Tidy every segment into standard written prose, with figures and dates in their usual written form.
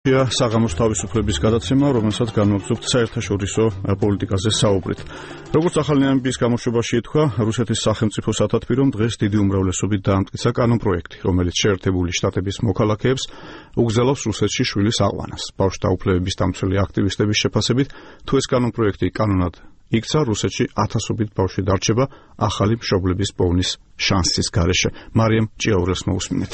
საღამოს თავისუფლების გადაცემა, რომელსაც განვაგრძობთ საერთაშორისო პოლიტიკაზე საუბრით. როგორც ახალი ამბის გამოშვებაში ითქვა, რუსეთის სახელმწიფო სათათბირომ დღეს დიდი უმრავლესობით დაამტკიცა კანონპროექტი, რომელიც შეერთებული შტატების მოქალაქეებს უგზელავს რუსეთში შვილის აყვანას. ბავშვთა უფლებების დამცველი აქტივისტების შეფასებით, თუ ეს კანონპროექტი კანონად იქცა, რუსეთში ათასობით ბავშვი დარჩება ახალი მშობლების პოვნის შანსის გარეშე. მარიამ ჭიაურელს მოусმინეთ.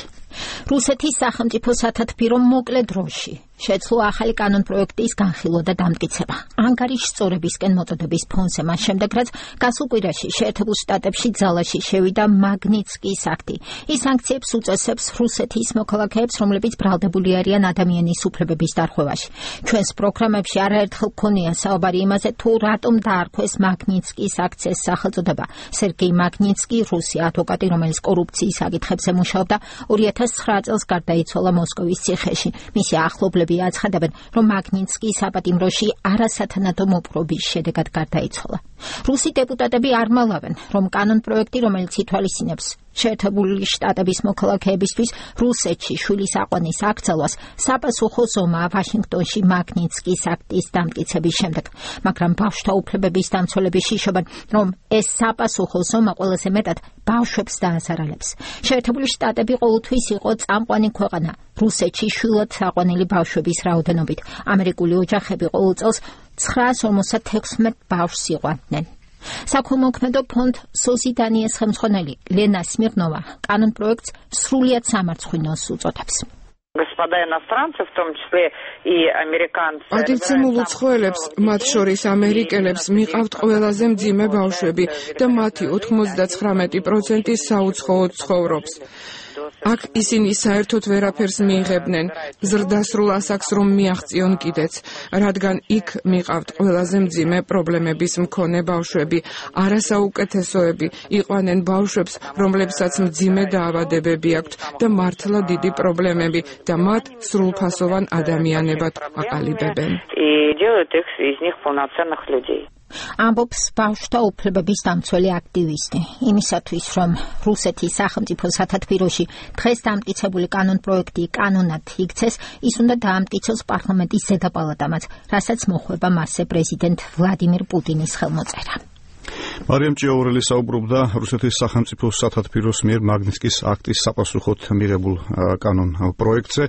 რუსეთის სახელმწიფო სათათბირომ მოკლე დროში შეძლო ახალი კანონპროექტის განხილვა და დამტკიცება. ანგარიშსწორებისკენ მოწოდების ფონზე მას შემდეგ, რაც გასულ კვირაში შეერთებულ შტატებში ძალაში შევიდა მაგნიცკის აქტი. ის სანქციებს უწესებს რუსეთის მოქალაქეებს, რომლებიც ბრალდებული არიან ადამიანის უფლებების დარღვევაში. ჩვენს პროგრამებში არაერთხელ გქონია საუბარი იმაზე, თუ რატომ დაარქვეს მაგნიცკის აქციის სახელწოდება. სერგეი მაგნიცკი, რუსი ადვოკატი, რომელიც კორუფციის საკითხებზე მუშაობდა, 2009 წელს გარდაიცვალა მოსკოვის ციხეში. მისი ახლობლები აცხადებენ, რომ მაგნიცკი საპატიმროში არასათანადო მოპყრობის შედეგად გარდაიცვალა. რუსი დეპუტატები არ მალავენ, რომ კანონპროექტი, რომელიც ითვალისწინებს შეერთებული შტატების მოქალაქეებისთვის რუსეთში შვილის აყვანის აკრძალვას, საპასუხო ზომაა ვაშინგტონში მაგნიცკის აქტის დამტკიცების შემდეგ. მაგრამ ბავშვთა უფლებების დამცველები შიშობენ, რომ ეს საპასუხო ზომა ყველაზე მეტად ბავშვებს დაასარალებს. შეერთებული შტატები ყოველთვის იყო წამყვანი ქვეყანა რუსეთში შვილად აყვანილი ბავშვების რაოდენობით. ამერიკული ოჯახები ყოველ წელს 956 ბავშვს იყვანდნენ. საქველმოქმედო ფონდ სოზიდანიეს ხელმძღვანელი ლენა სმირნოვა კანონპროექტს სრულიად სამარცხვინოს უწოდებს. პატივცემულ უცხოელებს, მათ შორის ამერიკელებს, მიყავთ ყველაზე მძიმე ბავშვები და მათი 99% საუცხოოდ ცხოვრობს. აქ ისინი საერთოდ ვერაფერს მიიღებდნენ, ზრდასრულ ასაკს რომ მიაღწიონ კიდეც, რადგან იქ მიყავთ ყველაზე მძიმე პრობლემების მქონე ბავშვები, არასაუკეთესოები, იყვანენ ბავშვებს, რომლებსაც მძიმე დაავადებები აქვთ და მართლა დიდი პრობლემები და მათ სრულფასოვან ადამიანებად აყალიბებენ. ამბობს ბავშვთა უფლებების დამცველი აქტივისტი. იმისათვის, რომ რუსეთის სახელმწიფო სათათბიროში დღეს დამტკიცებული კანონპროექტი კანონად იქცეს, ის უნდა დაამტკიცოს პარლამენტის ზედაპალატამაც, რასაც მოხვება მასზე პრეზიდენტ ვლადიმირ პუტინის ხელმოწერა. მარიამ ჭიაურელი საუბრობდა რუსეთის სახელმწიფო სათათბიროს მიერ მაგნიცკის აქტის საპასუხოდ მიღებულ კანონპროექტზე.